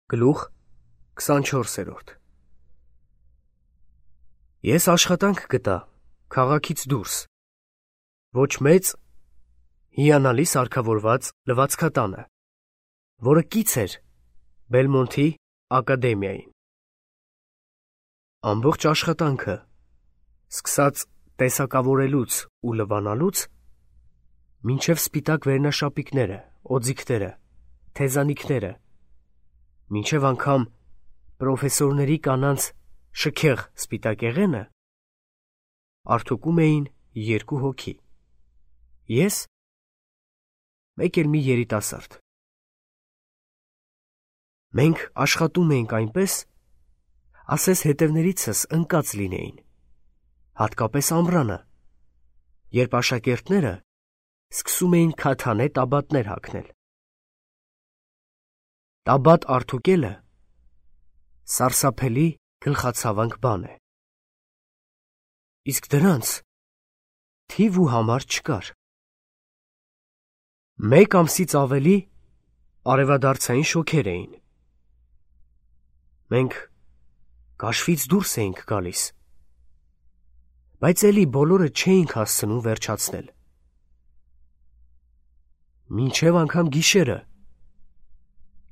Գլուխ 24. Ես աշխատանք գտա քաղաքից դուրս, ոչ մեծ, հիանալի սարքավորված լվացքատանը, որը կից էր Բելմոնթի ակադեմիային։ Ամբողջ աշխատանքը, սկսած տեսակավորելուց ու լվանալուց, մինչև սպիտակ վերնաշապիկները, օձիքները, թեզանիքները, մինչև անգամ պրոֆեսորների կանանց շքեղ սպիտակեղենը, արդուկում էին 2 հոգի, ես, մեկ էլ մի երիտասարդ։ Մենք աշխատում էինք այնպես, ասես հետևներիցս ընկած լինեին, հատկապես ամռանը, երբ աշակերտները սկսում էին քաթանե տաբատներ հագնել։ Տաբատ արդուկելը սարսափելի գլխացավանք բան է, իսկ դրանց թիվ ու համար չկար։ 1 ամսից ավելի արևադարձային շոգեր էին։ Մենք կաշվից դուրս էինք գալիս, բայց էլի բոլորը չէինք հասցնում վերջացնել։ Մինչև անգամ գիշերը,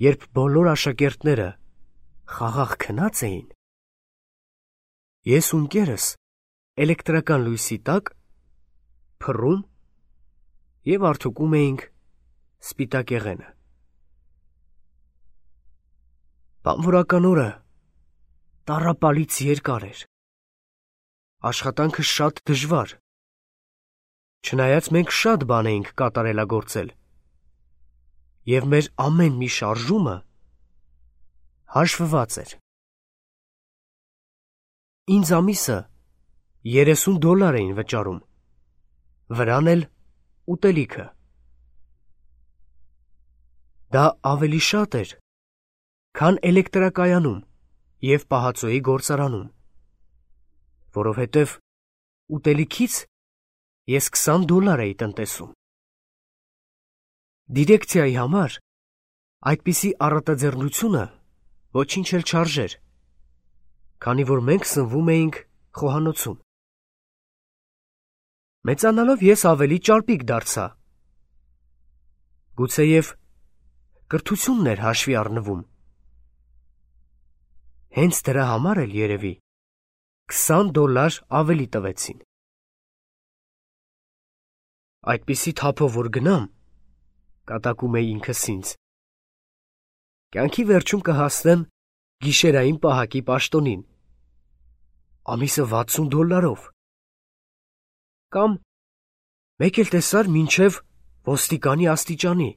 երբ բոլոր աշակերտները խաղաղ քնած էին, ես ու ընկերս էլեկտրական լույսի տակ փռում և արդուկում էինք սպիտակեղենը։ Բանվորական օրը տառապալից երկար էր, աշխատանքը շատ դժվար, չնայած մենք շատ բան էինք կատարելագործել, և մեր ամեն մի շարժումը հաշվված էր։ Ինձ ամիսը $30 էին վճարում, վրան էլ ուտելիքը։ Դա ավելի շատ էր, քան էլեկտրակայանում և պահածոյի գործարանում, որովհետև ուտելիքից ես $20 էի տնտեսում։ Դիրեկցիայի համար այդպիսի առատաձեռնությունը ոչինչ էլ չարժեր, քանի որ մենք սնվում էինք խոհանոցում։ Մեծանալով ես ավելի ճարպիկ դարձա, գուցեև կրթությունն էր հաշվի առնվում։ Հենց դրա համար էլ երևի $20 ավելի տվեցին։ Այդպիսի թափով որ գնամ, կատակում էի ինքս ինձ, կյանքի վերջում կհասնեմ գիշերային պահակի պաշտոնին, ամիսը $60, կամ մեկ էլ տեսար մինչև ոստիկանի աստիճանի,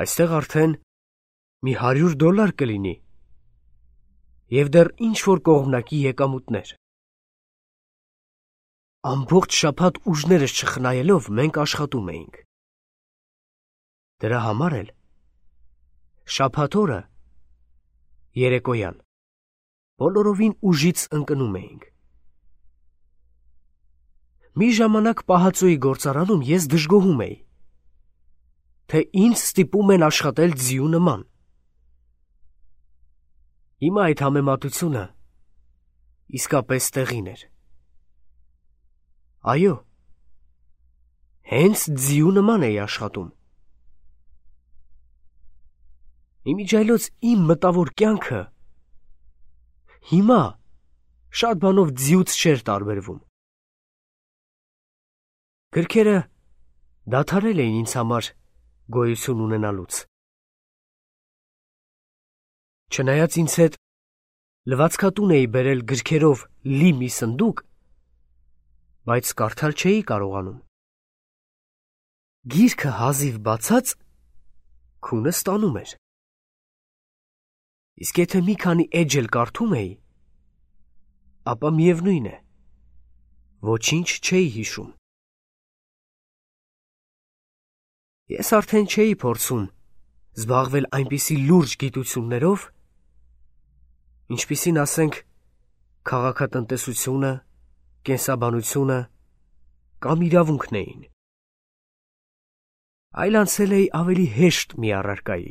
այստեղ արդեն մի $100 կլինի և դեռ ինչ-որ կողմնակի եկամուտներ։ Ամբողջ շաբաթ ուժներս չխնայելով մենք աշխատում էինք։ Դրա համար էլ շաբաթ օրը երեկոյան բոլորովին ուժից ընկնում էինք։ Մի ժամանակ պահածոյի գործարանում ես դժգոհում էի, թե ինձ ստիպում են աշխատել ձիու նման։ Հիմա այդ համեմատությունը իսկապես տեղին էր։ Այո, հենց ձիու նման էի աշխատում։ Իմիջիայլոց իմ մտավոր կյանքը հիմա շատ բանով ձիուց չէր տարբերվում։ Գրքերը դադարել էին ինձ համար գոյություն ունենալուց։ Չնայած ինձ հետ լվացքատուն էի բերել գրքերով լի մի սնդուկ, բայց կարդալ չէի կարողանում։ Գիրքը հազիվ բացած քունը ստանում էր։ Իսկ եթե մի քանի էջ էլ կարդում էի, ապա միևնույն է, ոչինչ չէի հիշում։ Ես արդեն չէի փորձում զբաղվել այնպիսի լուրջ գիտություններով, ինչպիսին ասենք քաղաքատնտեսությունը, կենսաբանությունը կամ իրավունքն էին։ Այլ անցել էի ավելի հեշտ մի առարկայի։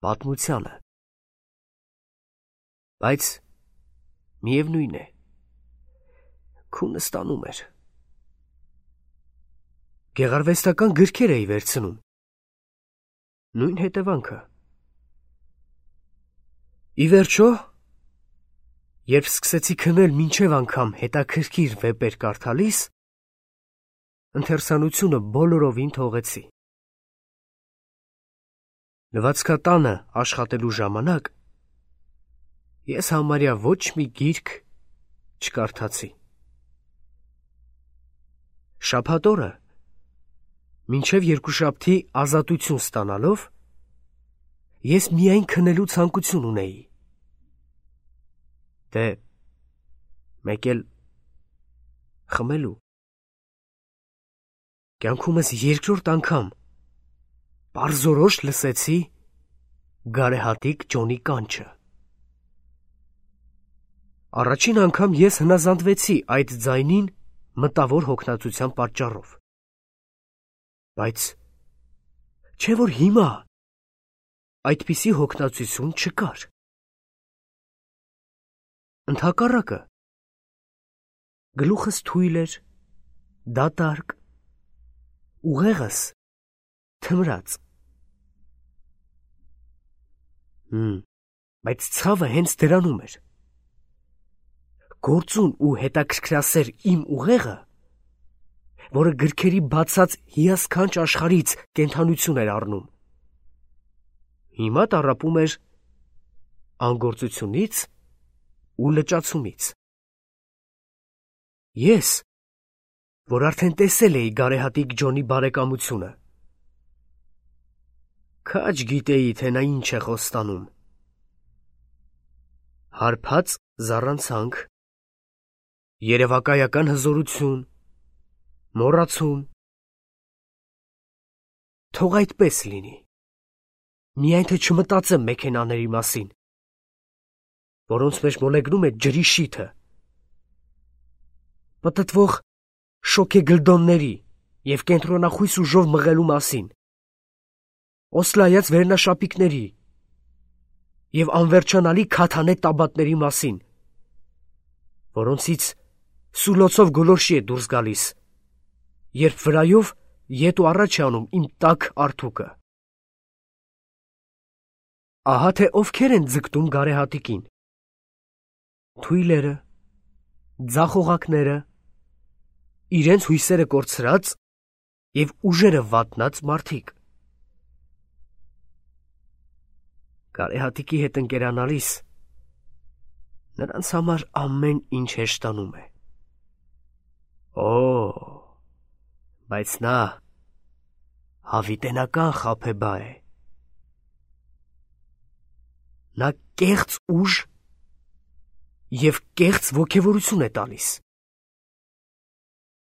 պատմությանը։ Բայց միևնույն է, քունը ստանում էր։ Գեղարվեստական գրքեր էի վերցնում։ Նույն հետևանքը։ Ի վերջո, երբ սկսեցի քնել մինչև անգամ հետաքրքիր վեպեր կարդալիս, ընթերցանությունը բոլորովին թողեցի։ Լվացքատանը աշխատելու ժամանակ ես համարյա ոչ մի գիրք չկարդացի։ Շաբաթ օրը, մինչև երկուշաբթի ազատություն ստանալով, ես միայն քնելու ցանկություն ունեի։ Դե, մեկ էլ խմելու։ Կյանքումս երկրորդ անգամ պարզորոշ լսեցի գարեհատիկ Ջոնի կանչը։ Առաջին անգամ ես հնազանդվեցի այդ ձայնին մտավոր հոգնածության պատճառով։ Բայց չէ՞ որ հիմա այդպիսի հոգնածություն չկար։ Ընդհակառակը, գլուխս թույլ էր, դատարկ, ուղեղս թմրած։ Բայց ցավը հենց դրանում էր։ Գործուն ու հետաքրքրասեր իմ ուղեղը, որը գրքերի բացած հիասքանչ աշխարհից կենդանություն էր առնում, հիմա տառապում էր անգործությունից ու լճացումից։ Ես, որ արդեն տեսել էի գարեհատիկ Ջոնի բարեկամությունը, քաջ գիտեի, թե նա ինչ է խոստանում։ Հարբած զառանցանք, երևակայական հզորություն, մոռացում։ Թող այդպես լինի, միայն թե չմտածեմ մեքենաների մասին, որոնց մեջ մոլեգնում է ջրի շիթը, պտտվող շոքեգլդոնների և կենտրոնախույս ուժով մղելու մասին, օսլայած վերնաշապիկների և անվերջանալի քաթանե տաբատների մասին, որոնցից սուլոցով գոլորշի է դուրս գալիս, երբ վրայով ետ ու առաջ է անում իմ տաք արթուկը։ Ահա թե ովքեր են ձգտում գարեհատիկին. թույլերը, ձախողակները, իրենց հույսերը կորցրած և ուժերը վատնած մարդիկ։ Գարեհատիկի հետ ընկերանալիս նրանց համար ամեն ինչ հեշտանում է։ Բայց նա հավիտենական խաբեբա է։ Նա կեղծ ուժ և կեղծ ոգևորություն է տալիս։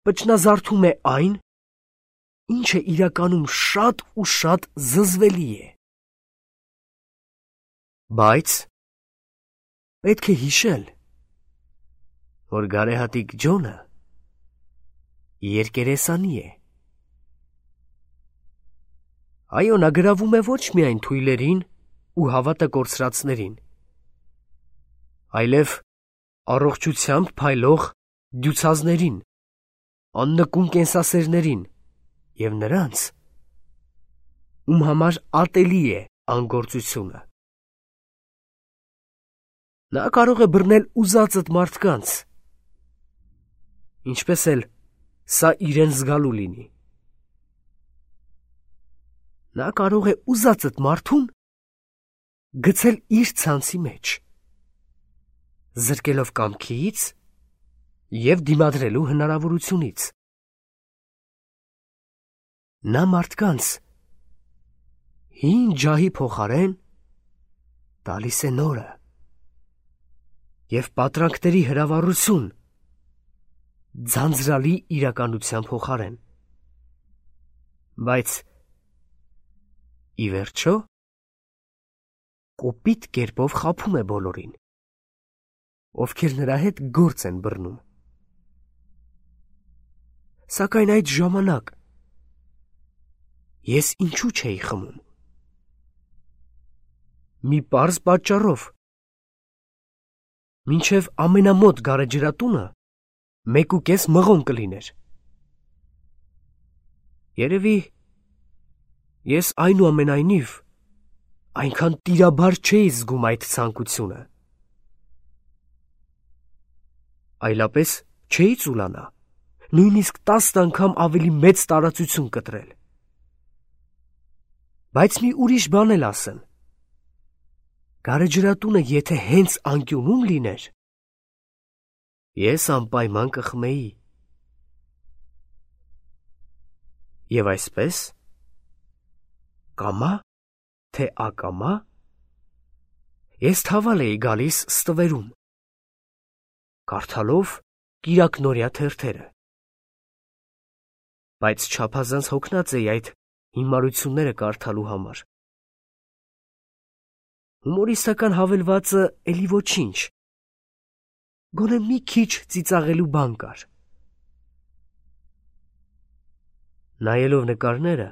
Պճնազարդում է այն, ինչը իրականում շատ ու շատ զզվելի է։ Բայց պետք է հիշել, որ գարեհատիկ Ջոնը երկերեսանի է։ Այո, նա գրավում է ոչ միայն թույլերին ու հավատը կորցրածներին, այլև առողջությամբ փայլող դյուցազներին, աննկուն կենսասերներին և նրանց, ում համար ատելի է անգործությունը։ Նա կարող է բռնել ուզածդ մարդկանց, ինչպես էլ սա իրեն զգալու լինի։ Նա կարող է ուզածդ մարդուն գցել իր ցանցի մեջ, զրկելով կամքից և դիմադրելու հնարավորությունից։ Նա մարդկանց հին ջահի փոխարեն տալիս է նորը և պատրանքների հրավառություն ձանձրալի իրականության փոխարեն։ Բայց ի վերջո կոպիտ կերպով խաբում է բոլորին, ովքեր նրա հետ գործ են բռնում։ Սակայն այդ ժամանակ ես ինչու չէի խմում։ մի պարզ պատճառով։ Մինչև ամենամոտ գարեջրատունը 1.5 մղոն կլիներ։ Երևի ես այնուամենայնիվ այնքան տիրաբար չէի զգում այդ ցանկությունը։ Այլապես չէի ծուլանա, նույնիսկ 10 անգամ ավելի մեծ տարածություն կտրել։ Բայց մի ուրիշ բան էլ ասեմ։ Գարեջրատունը եթե հենց անկյունում լիներ, ես անպայման կխմեի։ Եվ այսպես, կամա, թե ակամա, ես թավալ էի գալիս ստվերում, կարդալով կիրակնորյա թերթերը։ Բայց չափազանց հոգնած էի այդ հիմարությունները կարդալու համար։ Հումորիստական հավելվածը էլի ոչինչ, գոնե մի քիչ ծիծաղելու բան կար։ Նայելով նկարները,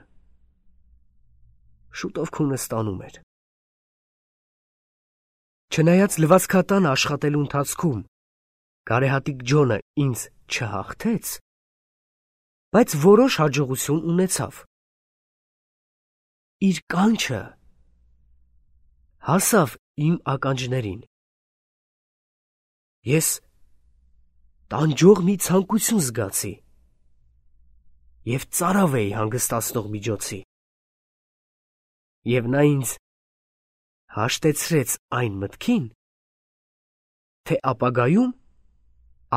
շուտով քունը ստանում էր։ Չնայած լվացքատանը աշխատելու ընթացքում գարեհատիկ Ջոնը ինձ չհաղթեց, բայց որոշ հաջողություն ունեցավ։ Իր կանչը հասավ իմ ականջներին։ Ես տանջող մի ցանկություն զգացի և ծարավ էի հանգստացնող միջոցի։ Եվ նա ինձ հաշտեցրեց այն մտքին, թե ապագայում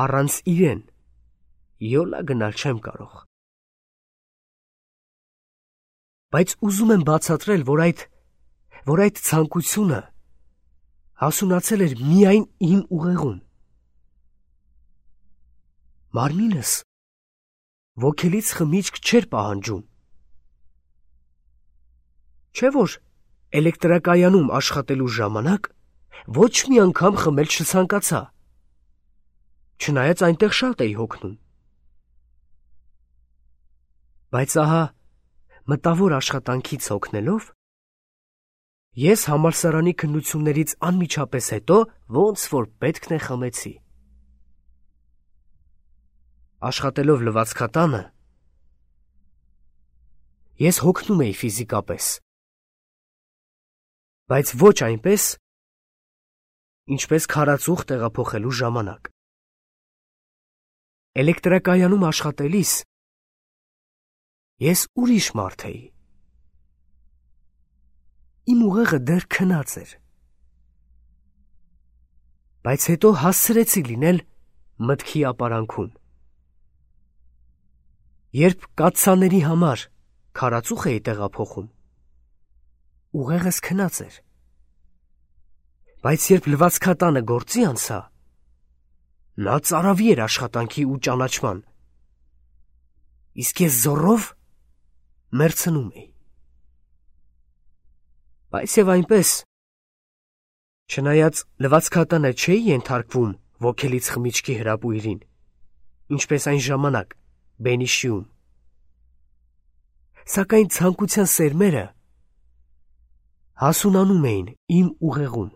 առանց իրեն յոլա գնալ չեմ կարող։ Բայց ուզում եմ բացատրել, որ այդ ցանկությունը հասունացել էր միայն իմ ուղեղում։ Մարմինս ոգելից խմիչք չէր պահանջում։ Չէ՞ որ էլեկտրակայանում աշխատելու ժամանակ ոչ մի անգամ խմել չցանկացա, չնայած այնտեղ շատ էի հոգնում։ Բայց ահա մտավոր աշխատանքից հոգնելով, ես համալսարանի քննություններից անմիջապես հետո ոնց որ պետքն է խմեցի։ Աշխատելով լվացքատանը, ես հոգնում էի ֆիզիկապես, բայց ոչ այնպես, ինչպես քարածուխ տեղափոխելու ժամանակ։ Էլեկտրակայանում աշխատելիս ես ուրիշ մարդ էի։ Իմ ուղեղը դեռ քնած էր։ Բայց հետո հասցրեցի լինել մտքի ապարանքում։ Երբ կաթսաների համար քարածուխ էի տեղափոխում, ուղեղս քնած էր։ Բայց երբ լվացքատանը գործի անցա, նա ծարավի էր աշխատանքի ու ճանաչման, իսկ ես զոռով մեռցնում էի։ Բայց և այնպես, չնայած լվացքատանը չէի ենթարկվում ոգելից խմիչքի հրապույրին, ինչպես այն ժամանակ Բենիշիում, սակայն ցանկության սերմերը հասունանում էին իմ ուղեղում։